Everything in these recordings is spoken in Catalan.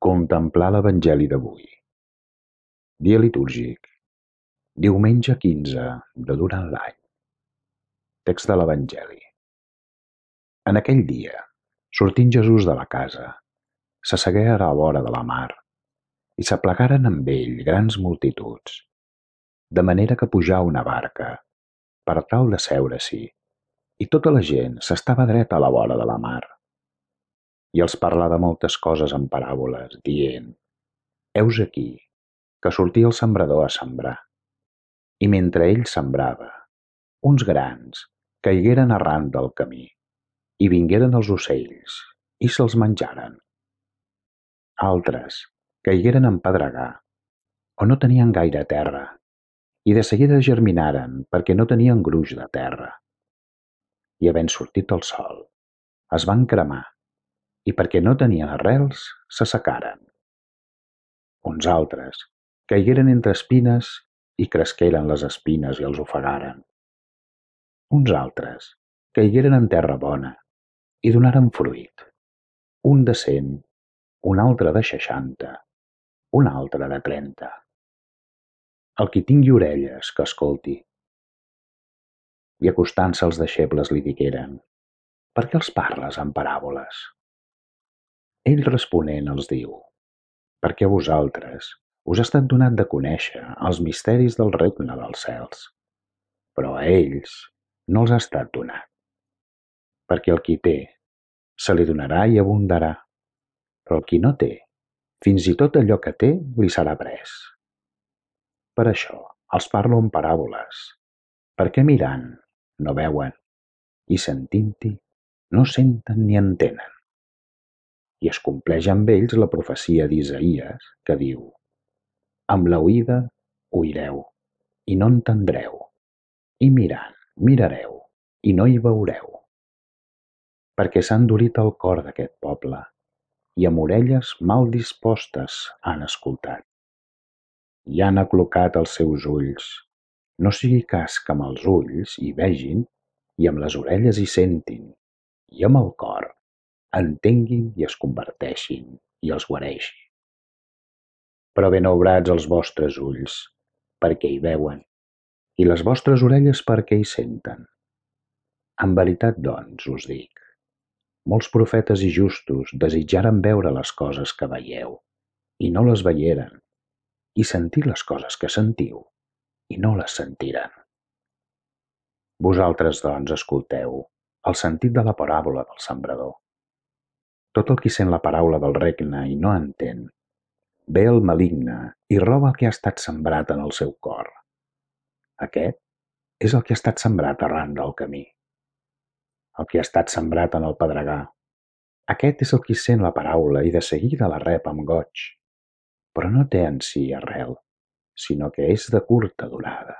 Contemplar l'Evangeli d'avui. Dia litúrgic. Diumenge 15 de durant l'any. Text de l'Evangeli. En aquell dia, sortint Jesús de la casa, s'assegué a la vora de la mar, i s'aplegaren amb ell grans multituds, de manera que pujà a una barca, per tal de seure-s'hi, i tota la gent s'estava dreta a la vora de la mar. I els parlà de moltes coses en paràboles, dient: Heus aquí, que sortia el sembrador a sembrar. I mentre ell sembrava, uns grans caigueren arran del camí, i vingueren els ocells, i se'ls menjaren. Altres caigueren en pedregar, on no tenien gaire terra, i de seguida germinaren perquè no tenien gruix de terra. I havent sortit el sol, es van cremar, i perquè no tenien arrels, s'assecaren. Uns altres caigueren entre espines i cresqueren les espines i els ofegaren. Uns altres caigueren en terra bona i donaren fruit, un de 100, un altre de 60, un altre de 30. El qui tingui orelles, que escolti. I acostant-se els deixebles li digueren: Per què els parles en paràboles? Ell responent els diu: Perquè a vosaltres us ha estat donat de conèixer els misteris del regne dels cels, però a ells no els ha estat donat. Perquè el qui té, se li donarà i abundarà, però el qui no té, fins i tot allò que té li serà pres. Per això els parlo en paràboles, perquè mirant no veuen, i sentint-hi no senten ni entenen. I es compleix amb ells la profecia d'Isaïes, que diu: Amb l'oïda oireu, i no entendreu, i mirant mirareu, i no hi veureu. Perquè s'ha endurit el cor d'aquest poble, i amb orelles mal dispostes han escoltat. I han aclucat els seus ulls, no sigui cas que amb els ulls hi vegin, i amb les orelles hi sentin, i amb el cor entenguin i es converteixin i els guareixi. Però benaurats els vostres ulls, perquè hi veuen, i les vostres orelles perquè hi senten. En veritat, doncs, us dic, molts profetes i justos desitjaren veure les coses que veieu, i no les veieren, i sentir les coses que sentiu, i no les sentiren. Vosaltres, doncs, escolteu el sentit de la paràbola del sembrador. Tot el qui sent la paraula del regne i no entén, ve el maligne i roba el que ha estat sembrat en el seu cor. Aquest és el que ha estat sembrat arran del camí. El que ha estat sembrat en el pedregar, aquest és el qui sent la paraula i de seguida la rep amb goig, però no té en si arrel, sinó que és de curta durada.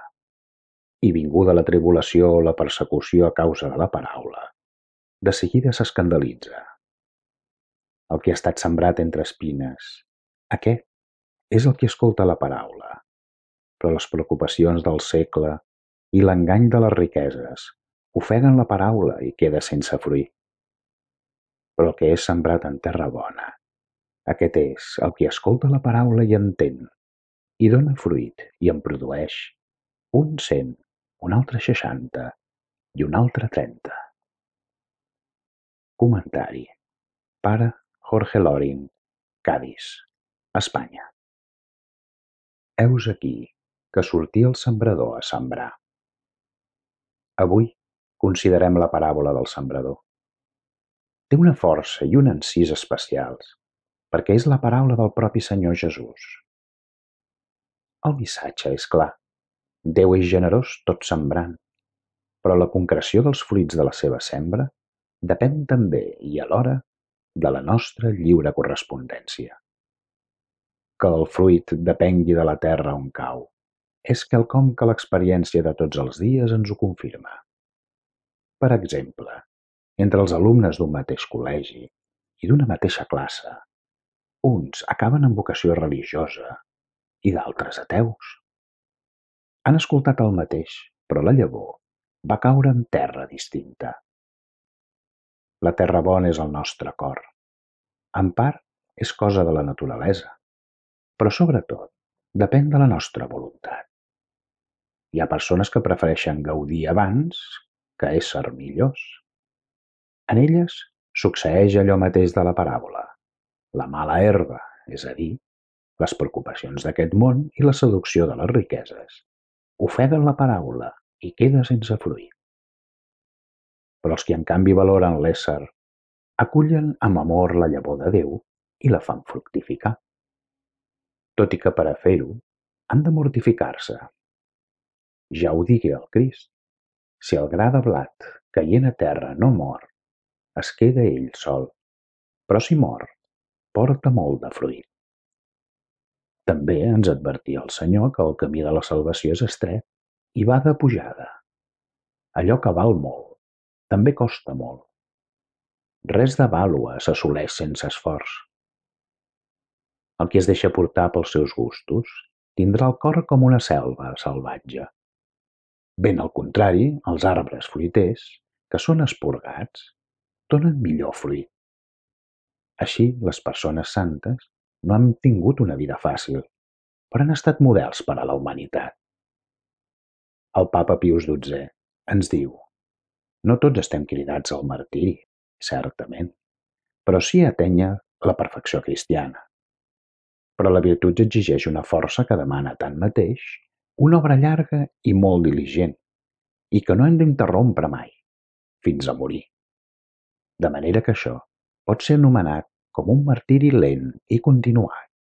I vinguda la tribulació o la persecució a causa de la paraula, de seguida s'escandalitza. El que ha estat sembrat entre espines, aquest és el que escolta la paraula, però les preocupacions del segle i l'engany de les riqueses ofeguen la paraula i queda sense fruir. Però el que és sembrat en terra bona, aquest és el que escolta la paraula i entén, i dona fruit i en produeix un 100, un altre 60 i un altre 30. Comentari: Pare Jorge Loring, Cadis, Espanya. Heus aquí que sortia el sembrador a sembrar. Avui considerem la paràbola del sembrador. Té una força i un encís especials, perquè és la paraula del propi Senyor Jesús. El missatge és clar. Déu és generós tot sembrant, però la concreció dels fruits de la seva sembra depèn també i alhora de la nostra lliure correspondència. Que el fruit depengui de la terra on cau és quelcom que l'experiència de tots els dies ens ho confirma. Per exemple, entre els alumnes d'un mateix col·legi i d'una mateixa classe, uns acaben amb vocació religiosa i d'altres ateus. Han escoltat el mateix, però la llavor va caure en terra distinta. La terra bona és el nostre cor, en part és cosa de la naturalesa, però sobretot depèn de la nostra voluntat. Hi ha persones que prefereixen gaudir abans que ésser millors. En elles succeeix allò mateix de la paràbola, la mala herba, és a dir, les preocupacions d'aquest món i la seducció de les riqueses, ofeguen la paraula i queda sense fruit. Però els que en canvi valoren l'ésser acullen amb amor la llavor de Déu i la fan fructificar. Tot i que per a fer-ho han de mortificar-se. Ja ho digué el Crist: si el gra de blat caient a terra no mor, es queda ell sol, però si mor, porta molt de fruit. També ens advertia el Senyor que el camí de la salvació és estret i va de pujada. Allò que val molt també costa molt. Res de vàlua s'assoleix sense esforç. El qui es deixa portar pels seus gustos tindrà el cor com una selva salvatge. Ben al contrari, els arbres fruiters, que són esporgats, donen millor fruit. Així, les persones santes no han tingut una vida fàcil, però han estat models per a la humanitat. El papa Pius XII ens diu: no tots estem cridats al martiri, certament, però sí a atènyer la perfecció cristiana. Però la virtut exigeix una força que demana tanmateix una obra llarga i molt diligent, i que no hem d'interrompre mai, fins a morir. De manera que això pot ser anomenat com un martiri lent i continuat.